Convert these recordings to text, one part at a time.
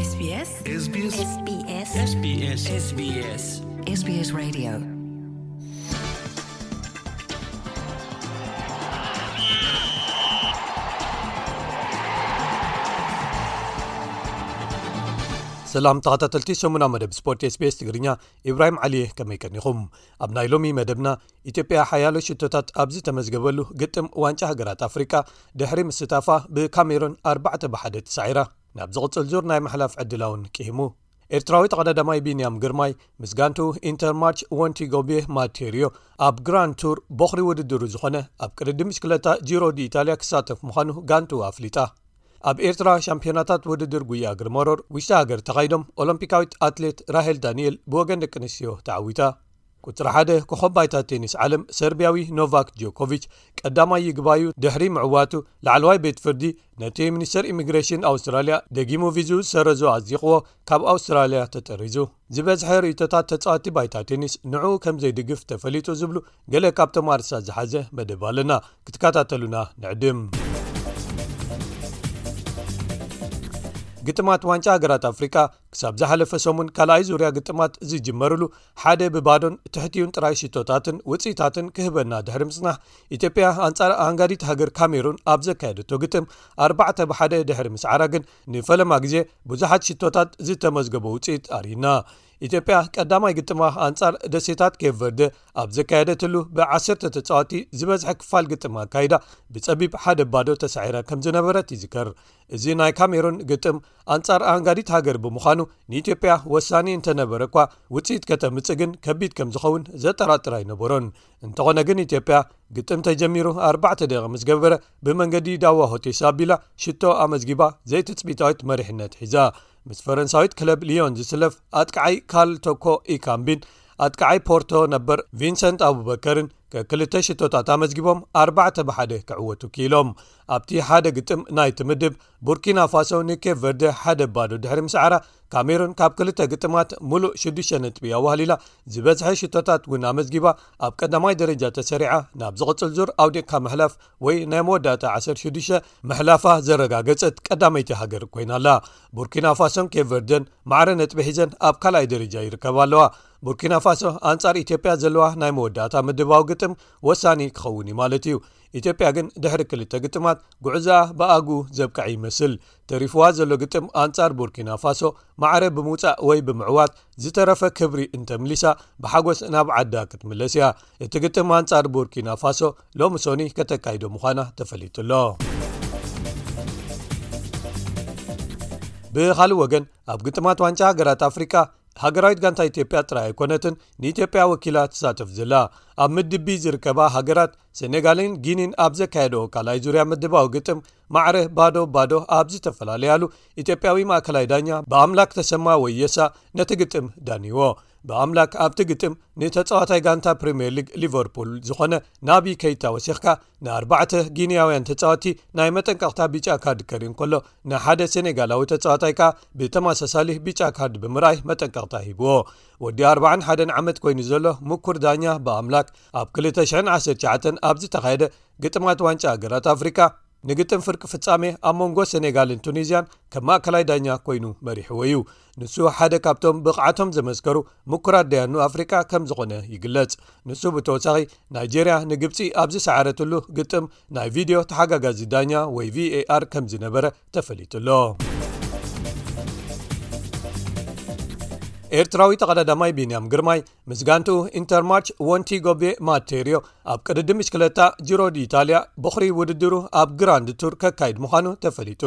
SBS SBS SBS SBS SBS Radio. ሰላም ተኸታተልቲ ሰሙና መደብ ስፖርት SBS ትግርኛ፣ ኢብራሂም ዓሊ፣ ከመይ ቀኒኹም? ኣብ ናይ ሎሚ መደብና፣ ኢትዮጵያ ሓያሎ ሽቶታት ኣብ ዝተመዝገበሉ ግጥም ዋንጫ ሃገራት ኣፍሪቃ ድሕሪ ምስታፋ ብካሜሩን ኣርባዕተ ብ ሓደ ተሳዒራ ናብ ዝቕጽል ዙር ናይ ምሕላፍ ዕድላ እውን ቅሂሙ። ኤርትራዊ ተቐዳዳማይ ቢንያም ግርማይ ምስ ጋንቱ ኢንተርማርች ወንቲጎቤ ማቴሪዮ ኣብ ግራንድ ቱር ቦኽሪ ውድድሩ ዝኾነ ኣብ ቅድድም ብሽክለታ ጂሮ ዲ ኢታልያ ክሳተፍ ምዃኑ ጋንቱ ኣፍሊጣ። ኣብ ኤርትራ ሻምፒዮናታት ውድድር ጉያ እግሪ መሮር ውሽጢ ሃገር ተኻይዶም ኦሎምፒካዊት ኣትሌት ራሄል ዳንኤል ብወገን ደቂ ኣንስትዮ ተዓዊታ። ቁጽሪ ሓደ ኮኸብ ባይታ ቴኒስ ዓለም ሰርቢያዊ ኖቫክ ጆኮቪች ቀዳማይ ይግባዩ ድሕሪ ምዕዋቱ፣ ላዕለዋይ ቤት ፍርዲ ነቲ ሚኒስተር ኢሚግሬሽን ኣውስትራልያ ደጊሙ ቪዝኡ ዝሰረዞ ኣጽዲቕዎ ካብ ኣውስትራልያ ተጠሪዙ። ዝበዝሐ ርእይቶታት ተጻዋቲ ባይታ ቴኒስ ንዕኡ ከም ዘይድግፍ ተፈሊጡ ዝብሉ ገለ ካብቶም ኣርእስታት ዝሓዘ መደብ ኣለና። ክትከታተሉና ንዕድም። ግጥማት ዋንጫ ሃገራት ኣፍሪቃ ክሳብ ዝሓለፈ ሰሙን ካልኣይ ዙርያ ግጥማት ዝጅመርሉ ሓደ ብባዶን ትሕቲኡን ጥራይ ሽቶታትን ውጽኢታትን ክህበና ድሕሪ ምጽናሕ፣ ኢትዮጵያ ኣንጻር ኣንጋዲት ሃገር ካሜሩን ኣብ ዘካየደቶ ግጥም ኣርባዕተ ብ ሓደ ድሕሪ ምስዓራ ግን ንፈለማ ግዜ ብዙሓት ሽቶታት ዝተመዝገበ ውጽኢት ኣርእዩና። ኢትዮጵያ ቀዳማይ ግጥማ ኣንጻር ደሴታት ኬፕ ቨርደ ኣብ ዘካየደትሉ ብዓሰርተ ተጻዋቲ ዝበዝሐ ክፋል ግጥም ኣካይዳ ብጸቢብ ሓደ ባዶ ተሳዒራ ከም ዝነበረት ይዝከር። እዚ ናይ ካሜሩን ግጥም ኣንጻር ኣንጋዲት ሃገር ብምዃኑ ንኢትዮጵያ ወሳኒ እንተነበረ እኳ ውጽኢት ከተምጽእ ግን ከቢድ ከም ዝኸውን ዘጠራጥር ኣይነበሮን። እንተኾነ ግን ኢትዮጵያ ግጥም ተጀሚሩ ኣርባዕተ ደቂቕ ምስ ገበረ ብመንገዲ ዳዋ ሆቴሳ ኣቢላ ሽቶ ኣመዝጊባ ዘይትጽቢታዊት መሪሕነት ሒዛ። ምስ ፈረንሳዊት ክለብ ሊዮን ዝስለፍ ኣጥቃዓይ ካል ቶኮ ኢካምቢን ኣጥቃዓይ ፖርቶ ነበር ቪንሰንት ኣቡበከርን ከክልተ ሽቶታት ኣመዝጊቦም ኣርባዕተ ብ ሓደ ክዕወቱ ክኢሎም። ኣብቲ ሓደ ግጥም ናይቲ ምድብ ቡርኪና ፋሶ ንኬፕ ቨርደ ሓደ ባዶ ድሕሪ ምስዓራ፣ ካሜሩን ካብ ክልተ ግጥማት ሙሉእ ሽዱሽተ ነጥቢ ኣዋህሊላ፣ ዝበዝሐ ሽቶታት እውን ኣመዝጊባ ኣብ ቀዳማይ ደረጃ ተሰሪዓ ናብ ዝቕጽል ዙር ኣውዲቕካ ምሕላፍ ወይ ናይ መወዳእታ ዓሰርተ ሽዱሽተ ምሕላፋ ዘረጋገጸት ቀዳመይቲ ሃገር ኮይና ኣላ። ቡርኪና ፋሶን ኬፕ ቨርደን ማዕረ ነጥቢ ሒዘን ኣብ ካልኣይ ደረጃ ይርከባ ኣለዋ። ቡርኪና ፋሶ ኣንጻር ኢትዮጵያ ዘለዋ ናይ መወዳእታ ምድባዊ ግጥም ወሳኒ ክኸውን እዩ ማለት እዩ። ኢትዮጵያ ግን ድሕሪ ክልተ ግጥማት ጉዕዞኣ ብኣጉ ዘብቅዐ ይመስል። ተሪፍዋ ዘሎ ግጥም ኣንጻር ቡርኪና ፋሶ ማዕረ ብምውጻእ ወይ ብምዕዋት ዝተረፈ ክብሪ እንተምሊሳ ብሓጎስ ናብ ዓዳ ክትምለስ እያ። እቲ ግጥም ኣንጻር ቡርኪና ፋሶ ሎሚ ሶኒ ከተካይዶ ምዃና ተፈሊጡ ኣሎ። ብኻልእ ወገን ኣብ ግጥማት ዋንጫ ሃገራት ኣፍሪቃ ሃገራዊት ጋንታ ኢትዮጵያ ጥራይ ኣይኮነትን ንኢትዮጵያ ወኪላ ትሳተፍ ዘላ። ኣብ ምድብ ቢ ዝርከባ ሃገራት ሴኔጋልን ጊኒን ኣብ ዘካየደኦ ካልኣይ ዙርያ ምድባዊ ግጥም ማዕረ ባዶ ባዶ ኣብ ዝተፈላለያሉ ኢትዮጵያዊ ማእከላይ ዳኛ ብኣምላክ ተሰማ ወየሳ ነቲ ግጥም ዳንይዎ። ብኣምላክ ኣብቲ ግጥም ንተጻዋታይ ጋንታ ፕሪምየር ሊግ ሊቨርፑል ዝኾነ ናቢ ከይታ ወሲኽካ ንኣርባዕተ ጊንያውያን ተጻወቲ ናይ መጠንቀቕታ ቢጫ ካርድ ከርኢ እንከሎ ንሓደ ሴኔጋላዊ ተጻዋታይ ከኣ ብተመሳሳሊ ቢጫ ካርድ ብምርኣይ መጠንቀቕታ ሂብዎ። ወዲ ኣርባዓን ሓደን ዓመት ኮይኑ ዘሎ ምኩር ዳኛ ብኣምላክ ኣብ ክልተ ሽሕን ዓሰርተ ትሽዓተን ኣብ ዝተኻየደ ግጥማት ዋንጫ ሃገራት ኣፍሪቃ ንግጥም ፍርቂ ፍጻሜ ኣብ መንጎ ሴኔጋልን ቱኒዝያን ከም ማእከላይ ዳኛ ኮይኑ መሪሕዎ እዩ። ንሱ ሓደ ካብቶም ብቕዓቶም ዘመስከሩ ምኩራት ደያኑ ኣፍሪቃ ከም ዝኾነ ይግለጽ። ንሱ ብተወሳኺ ናይጄርያ ንግብጺ ኣብ ዝሰዓረትሉ ግጥም ናይ ቪድዮ ተሓጋጋዚ ዳኛ ወይ ቪኤኣር ከም ዝነበረ ተፈሊጡ ኣሎ። ኤርትራዊ ተቐዳዳማይ ቢንያም ግርማይ ምስ ጋንትኡ ኢንተርማርች ወንቲ ጎቤ ማቴሪዮ ኣብ ቅድድም ብሽክለታ ጂሮ ዲ ኢታልያ ቦኽሪ ውድድሩ ኣብ ግራንድ ቱር ከካይድ ምዃኑ ተፈሊጡ።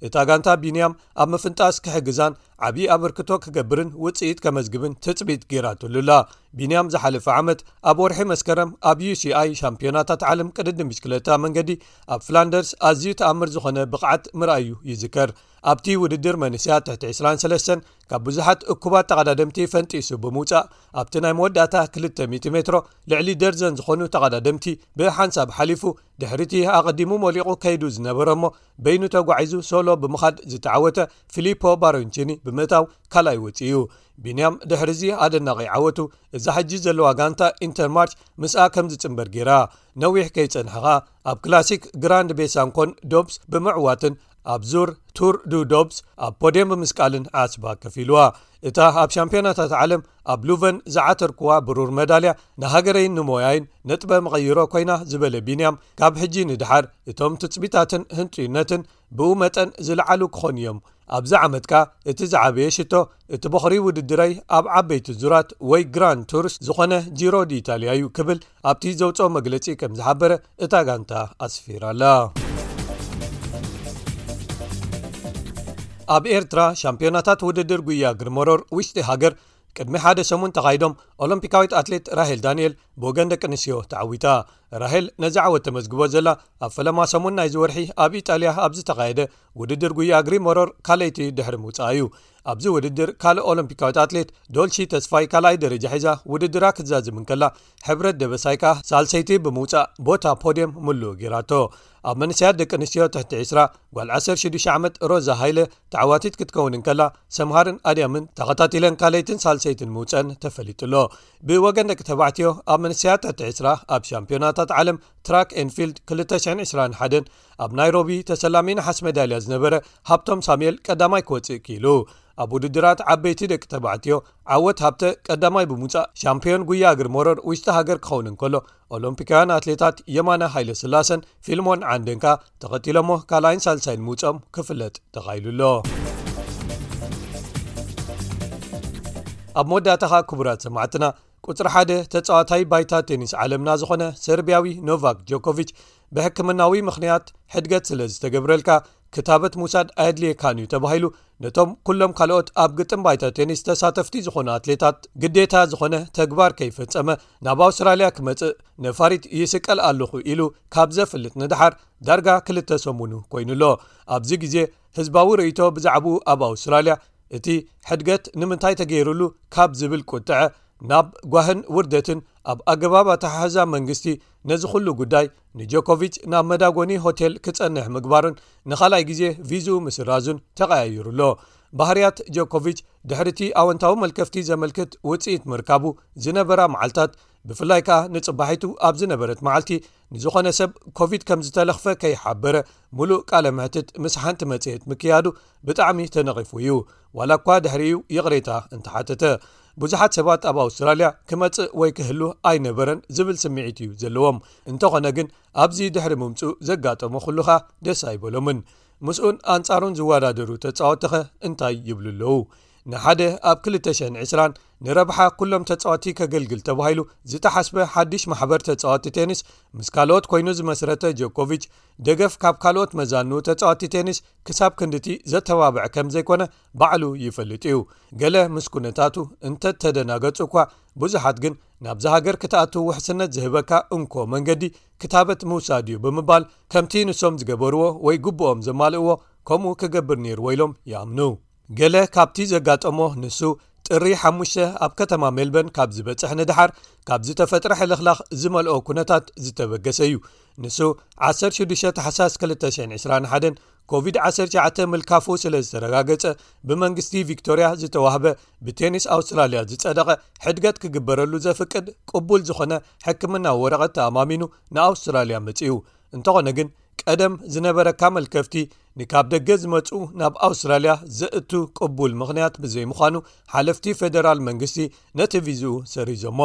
እታ ጋንታ ቢንያም ኣብ ምፍንጣስ ክሕግዛን ዓብዪ ኣበርክቶ ክገብርን ውጽኢት ከመዝግብን ትጽቢት ገይራትሉ ኣላ። ቢንያም ዝሓለፈ ዓመት ኣብ ወርሒ መስከረም ኣብ ዩ ሲ ኣይ ሻምፒዮናታት ዓለም ቅድድም ብሽክለታ መንገዲ ኣብ ፍላንደርስ ኣዝዩ ተኣምር ዝኾነ ብቕዓት ምርኣዩ ይዝከር። ኣብቲ ውድድር መንእሰያት ትሕቲ ዕስራን ሰለስተን ካብ ብዙሓት እኩባት ተቐዳደምቲ ፈንጢሱ ብምውጻእ ኣብቲ ናይ መወዳእታ ክልተ ሚእቲ ሜትሮ ልዕሊ ደርዘን ዝኾኑ ተቐዳደምቲ ብሓንሳብ ሓሊፉ ድሕሪቲ ኣቐዲሙ ሞሊቑ ከይዱ ዝነበረ እሞ በይኑ ተጓዒዙ ሶሎ ብምኻድ ዝተዓወተ ፊሊፖ ባሮንቺኒ ብምእታው ካልኣይ ወጺኡ እዩ። ቢንያም ድሕሪዚ ኣደናቒ ዓወቱ እዛ ሕጂ ዘለዋ ጋንታ ኢንተርማርች ምስኣ ከም ዝጽንበር ገይራ። ነዊሕ ከይጸንሐ ኸኣ ኣብ ክላሲክ ግራንድ ቤሳንኮን ዶብስ ብምዕዋትን ኣብ ዙር ቱር ዱ ዶብስ ኣብ ፖድየም ብምስቃልን ዓስባ ከፊልዋ። እታ ኣብ ሻምፒዮናታት ዓለም ኣብ ሉቨን ዝዓተርኩዋ ብሩር መዳልያ፣ ንሃገረይን ንሞያይን ነጥበ መቐይሮ ኮይና ዝበለ ቢንያም፣ ካብ ሕጂ ንድሓር እቶም ትጽቢታትን ህንጡይነትን ብኡ መጠን ዝለዓሉ ክኾኑ እዮም። ኣብዚ ዓመት ከኣ እቲ ዝዓበየ ሽቶ፣ እቲ ቦኽሪ ውድድረይ ኣብ ዓበይቲ ዙራት ወይ ግራንድ ቱርስ ዝኾነ ጂሮ ዲ ኢታልያ እዩ ክብል ኣብቲ ዘውጽኦ መግለጺ ከም ዝሓበረ እታ ጋንታ ኣስፊራ ኣላ። ኣብ ኤርትራ ሻምፒዮናታት ውድድር ጉያ ግርመሮር ውሽጢ ሃገር ቅድሚ ሓደ ሰሙን ተኻይዶም፣ ኦሎምፒካዊት ኣትሌት ራሄል ዳንኤል ብወገን ደቂ ኣንስትዮ ተዓዊታ። ራሄል ነዚ ዓወት ተመዝግቦ ዘላ ኣብ ፈለማ ሰሙን ናይዚ ወርሒ ኣብ ኢጣልያ ኣብ ዝተኻየደ ውድድር ጉያ እግሪ መሮር ካልኣይቲ ድሕሪ ምውጻኣ እዩ። ኣብዚ ውድድር ካልእ ኦሎምፒካዊት ኣትሌት ዶልሺ ተስፋይ ካልኣይ ደረጃ ሒዛ ውድድራ ክትዛዝም እንከላ፣ ሕብረት ደበሳይ ከኣ ሳልሰይቲ ብምውጻእ ቦታ ፖድየም ምሉእ ገይራቶ። ኣብ መንእሰያት ደቂ ኣንስትዮ ትሕቲ ዕስራ፣ ጓል ዓሰርተ ሽዱሽተ ዓመት ሮዛ ሃይለ ተዓዋቲት ክትከውን እንከላ፣ ሰምሃርን ኣድያምን ተኸታቲለን ካልኣይትን ሳልሰይትን ምውጸን ተፈሊጡ ኣሎ። ብወገን ደቂ ተባዕትዮ፣ ኣብ መንእሰያት ትሕቲ ዕስራ ኣብ ሻምፒዮናታት ዓለም ትራክ ኤንፊልድ ክልተ ሽሕን ዕስራን ሓደን ኣብ ናይሮቢ ተሰላሚ ነሓስ መዳልያ ዝነበረ ሃብቶም ሳሙኤል ቀዳማይ ክወጽእ ክኢሉ። ኣብ ውድድራት ዓበይቲ ደቂ ተባዕትዮ፣ ዓወት ሃብተ ቀዳማይ ብምውጻእ ሻምፒዮን ጉያ እግሪ መሮር ውሽጢ ሃገር ክኸውን እንከሎ፣ ኦሎምፒካውያን ኣትሌታት የማነ ሃይለ ስላሰን ፊልሞን ዓንደን ከኣ ተኸቲሎሞ ካልኣይን ሳልሳይን ምውጾም ክፍለጥ ተኻኢሉ ኣሎ። ኣብ መወዳእታ ከኣ ክቡራት ሰማዕትና፣ ቁጽሪ ሓደ ተጻዋታይ ባይታ ቴኒስ ዓለምና ዝኾነ ሰርቢያዊ ኖቫክ ጆኮቪች፣ ብሕክምናዊ ምኽንያት ሕድገት ስለ ዝተገብረልካ ክታበት ምውሳድ ኣየድልየካን እዩ ተባሂሉ፣ ነቶም ኩሎም ካልኦት ኣብ ግጥም ባይታ ቴኒስ ተሳተፍቲ ዝኾኑ ኣትሌታት ግዴታ ዝኾነ ተግባር ከይፈጸመ ናብ ኣውስትራልያ ክመጽእ ነፋሪት ይስቀል ኣለኹ ኢሉ ካብ ዘፍልጥ ንድሓር ዳርጋ ክልተ ሰሙኑ ኮይኑ ኣሎ። ኣብዚ ግዜ ህዝባዊ ርእይቶ ብዛዕባኡ ኣብ ኣውስትራልያ፣ እቲ ሕድገት ንምንታይ ተገይሩሉ ካብ ዝብል ቁጥዐ፣ ናብ ጓህን ውርደትን ኣብ ኣገባብ ኣተሓሕዛ መንግስቲ ነዚ ኩሉ ጉዳይ ንጆኮቪች ናብ መዳጎኒ ሆቴል ክጸንሕ ምግባሩን ንኻልኣይ ግዜ ቪዝኡ ምስራዙን ተቐያይሩ ኣሎ። ባህርያት ጆኮቪች ድሕሪ እቲ ኣወንታዊ መልከፍቲ ዘመልክት ውጽኢት ምርካቡ ዝነበራ መዓልታት፣ ብፍላይ ከኣ ንጽባሒቱ ኣብ ዝነበረት መዓልቲ ንዝኾነ ሰብ ኮቪድ ከም ዝተለኽፈ ከይሓበረ፣ ምሉእ ቃለ መሕትት ምስ ሓንቲ መጽሔት ምክያዱ ብጣዕሚ ተነቒፉ እዩ። ዋላ እኳ ድሕሪኡ ይቕሬታ እንተሓተተ፣ ብዙሓት ሰባት ኣብ ኣውስትራልያ ክመጽእ ወይ ክህሉ ኣይነበረን ዝብል ስምዒት እዩ ዘለዎም። እንተኾነ ግን፣ ኣብዚ ድሕሪ ምምጽኡ ዘጋጠሞ ኩሉ ኸኣ ደስ ኣይበሎምን። ምስኡን ኣንጻሩን ዝወዳደሩ ተጻወትቲ ኸ እንታይ ይብሉ ኣለዉ? ንሓደ ኣብ ክልተ ሽሕን ዕስራን ንረብሓ ኩሎም ተጻወትቲ ከገልግል ተባሂሉ ዝተሓስበ ሓድሽ ማሕበር ተጻወትቲ ቴኒስ ምስ ካልኦት ኮይኑ ዝመስረተ ጆኮቪች፣ ደገፍ ካብ ካልኦት መዛኑ ተጻወትቲ ቴኒስ ክሳብ ክንድቲ ዘተባብዕ ከም ዘይኮነ ባዕሉ ይፈልጥ እዩ። ገለ ምስ ኩነታቱ እንተተደናገጹ እኳ፣ ብዙሓት ግን ናብዛ ሃገር ክትኣቱ ውሕስነት ዝህበካ እንኮ መንገዲ ክታበት ምውሳድ እዩ ብምባል፣ ከምቲ ንሶም ዝገበርዎ ወይ ግቡኦም ዘማልእዎ ከምኡ ክገብር ነይርዎ ኢሎም ይኣምኑ። ገለ ካብቲ ዘጋጠሞ፣ ንሱ ጥሪ ሓሙሽተ ኣብ ከተማ ሜልበርን ካብ ዝበጽሕ ንድሓር፣ ካብ ዝተፈጥረ ሕልኽላኽ ዝመልኦ ኩነታት ዝተበገሰ እዩ። ንሱ ዓሰርተ ሽዱሽተ ታሕሳስ ክልተ ሽሕን ዕስራን ሓደን ኮቪድ ዓሰርተ ትሽዓተ ምልካፉ ስለ ዝተረጋገጸ፣ ብመንግስቲ ቪክቶርያ ዝተዋህበ ብቴኒስ ኣውስትራልያ ዝጸደቐ ሕድገት ክግበረሉ ዘፍቅድ ቅቡል ዝኾነ ሕክምናዊ ወረቐት ተኣማሚኑ ንኣውስትራልያ መጺኡ። እንተኾነ ግን፣ ቀደም ዝነበረካ መልከፍቲ ንካብ ደገ ዝመጹ ናብ ኣውስትራልያ ዘእቱ ቅቡል ምኽንያት ብዘይምዃኑ፣ ሓለፍቲ ፌደራል መንግስቲ ነቲ ቪዝኡ ሰሪዞሞ።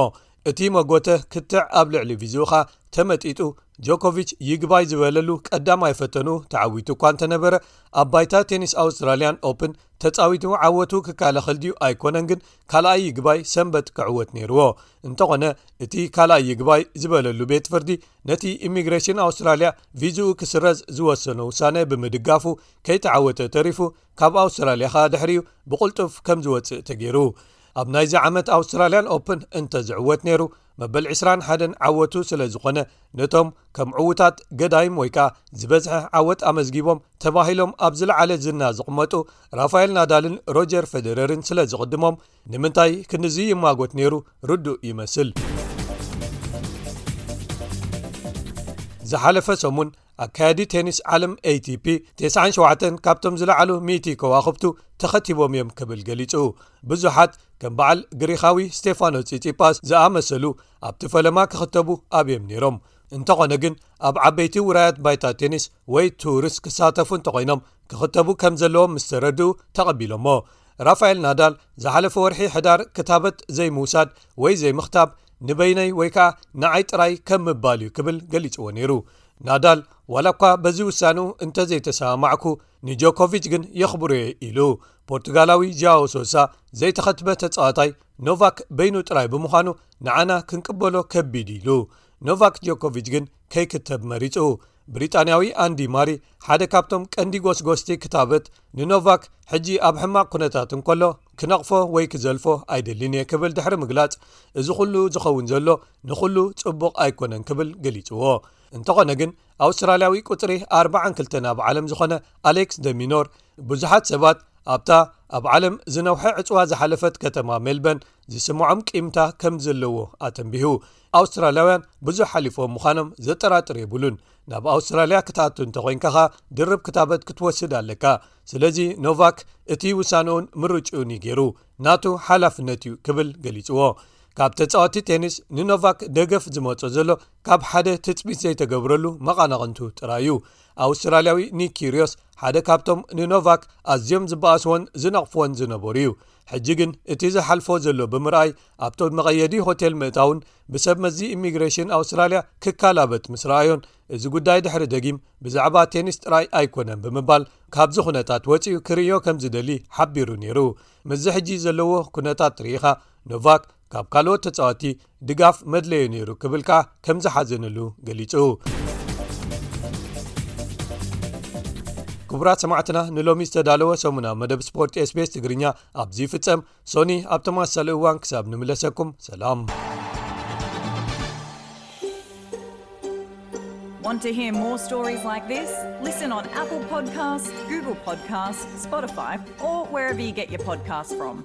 እቲ መጎተ ክትዕ ኣብ ልዕሊ ቪዝኡ ኸኣ ተመጢጡ፣ ጆኮቪች ይግባይ ዝበለሉ ቀዳማይ ፈተኑ ተዓዊቱ እኳ እንተነበረ፣ ኣብ ባይታ ቴኒስ ኣውስትራልያን ኦፕን ተጻዊቱ ዓወቱ ክከላኸል ድዩ ኣይኮነን ግን፣ ካልኣይ ይግባይ ሰንበት ክዕወት ነይርዎ። እንተኾነ፣ እቲ ካልኣይ ይግባይ ዝበለሉ ቤት ፍርዲ ነቲ ኢሚግሬሽን ኣውስትራልያ ቪዝኡ ክስረዝ ዝወሰኖ ውሳነ ብምድጋፉ፣ ከይተዓወተ ተሪፉ፣ ካብ ኣውስትራልያ ኸኣ ድሕሪኡ ብቕልጡፍ ከም ዝወጽእ ተገይሩ። ኣብ ናይዚ ዓመት ኣውስትራልያን ኦፕን እንተ ዝዕወት ነይሩ፣ መበል ዕስራን ሓደን ዓወቱ ስለ ዝኾነ፣ ነቶም ከም ዕዉታት ገዳይም ወይ ከኣ ዝበዝሐ ዓወት ኣመዝጊቦም ተባሂሎም ኣብ ዝለዓለ ዝና ዝቕመጡ ራፋኤል ናዳልን ሮጀር ፌደረርን ስለ ዝቕድሞም፣ ንምንታይ ክንድዚ ይማጎት ነይሩ ርዱእ ይመስል። ዝሓለፈ ሰሙን፣ ኣካያዲ ቴኒስ ዓለም ኤ ቲ ፒ፣ ተስዓን ሸውዓተን ካብቶም ዝለዓሉ ሚእቲ ከዋኽብቱ ተኸቲቦም እዮም ክብል ገሊጹ። ብዙሓት ከም በዓል ግሪኻዊ ስቴፋኖ ጺጺጳስ ዝኣመሰሉ ኣብቲ ፈለማ ክኽተቡ ኣብዮም ነይሮም። እንተኾነ ግን፣ ኣብ ዓበይቲ ውራያት ባይታ ቴኒስ ወይ ቱርስ ክሳተፉ እንተኾይኖም፣ ክኽተቡ ከም ዘለዎም ምስ ተረድኡ ተቐቢሎሞ። ራፋኤል ናዳል ዝሓለፈ ወርሒ ሕዳር ክታበት ዘይምውሳድ ወይ ዘይምኽታብ ንበይነይ ወይ ከዓ ንዓይ ጥራይ ከም ምባል እዩ ክብል ገሊጽዎ ነይሩ። ናዳል ዋላ እኳ በዚ ውሳንኡ እንተዘይተሰማማዕኩ ንጆኮቪች ግን የኽብሮ እየ ኢሉ። ፖርቱጋላዊ ጃኦ ሶሳ ዘይተኸትበ ተጻዋታይ ኖቫክ በይኑ ጥራይ ብምዃኑ ንዓና ክንቅበሎ ከቢድ ኢሉ። ኖቫክ ጆኮቪች ግን ከይክተብ መሪጹ። ብሪጣንያዊ ኣንዲ ማሪ ሓደ ካብቶም ቀንዲ ጎስጎስቲ ክታበት ንኖቫክ ሕጂ ኣብ ሕማቕ ኩነታት እንከሎ ክነቕፎ ወይ ክዘልፎ ኣይደልን እየ ክብል ድሕሪ ምግላጽ፣ እዚ ኩሉ ዝኸውን ዘሎ ንኹሉ ጽቡቕ ኣይኮነን ክብል ገሊጽዎ። እንተኾነ ግን ኣውስትራልያዊ ቁጽሪ ኣርባዓን ክልተን ኣብ ዓለም ዝኾነ ኣሌክስ ደሚኖር ብዙሓት ሰባት ኣብታ ኣብ ዓለም ዝነውሐ ዕጽዋ ዝሓለፈት ከተማ ሜልበን ዝስምዖም ቂምታ ከም ዘለዎ ኣተንቢሁ። ኣውስትራልያውያን ብዙሕ ሓሊፎም ምዃኖም ዘጠራጥር የብሉን። ናብ ኣውስትራልያ ክትኣቱ እንተኾይንካ ኸኣ ድርብ ክታበት ክትወስድ ኣለካ። ስለዚ ኖቫክ እቲ ውሳንኡን ምርጭኡን እዩ ገይሩ፣ ናቱ ሓላፍነት እዩ ክብል ገሊጽዎ። ካብ ተጻወቲ ቴኒስ ንኖቫክ ደገፍ ዝመጾ ዘሎ ካብ ሓደ ትጽቢት ዘይተገብረሉ መቓናቕንቱ ጥራይ እዩ። ኣውስትራልያዊ ኒክ ኪርዮስ ሓደ ካብቶም ንኖቫክ ኣዝዮም ዝበኣስዎን ዝነቕፍዎን ዝነበሩ እዩ። ሕጂ ግን እቲ ዝሓልፎ ዘሎ ብምርኣይ ኣብቲ መቐየዲ ሆቴል ምእታውን ብሰብ መዚ ኢሚግሬሽን ኣውስትራልያ ክካላበት ምስ ረኣዮን እዚ ጉዳይ ድሕሪ ደጊም ብዛዕባ ቴኒስ ጥራይ ኣይኮነን ብምባል ካብዚ ኩነታት ወፂኡ ክርእዮ ከም ዝደሊ ሓቢሩ ነይሩ። ምስዚ ሕጂ ዘለዎ ኩነታት ርኢኻ ኖቫክ ካብ ካልኦት ተጻወቲ ድጋፍ መድለዮ ነይሩ ክብል ከኣ ከም ዝሓዘነሉ ገሊጹ። ክቡራት ሰማዕትና ንሎሚ ዝተዳለወ ሰሙና መደብ ስፖርት ኤስቤስ ትግርኛ ኣብዚ ይፍጸም። ሶኒ ኣብ ተመሳሳሊ እዋን ክሳብ ንምለሰኩም ሰላም። Want to hear more stories like this? Listen on Apple Podcasts, Google Podcasts, Spotify, or wherever you get your podcasts from.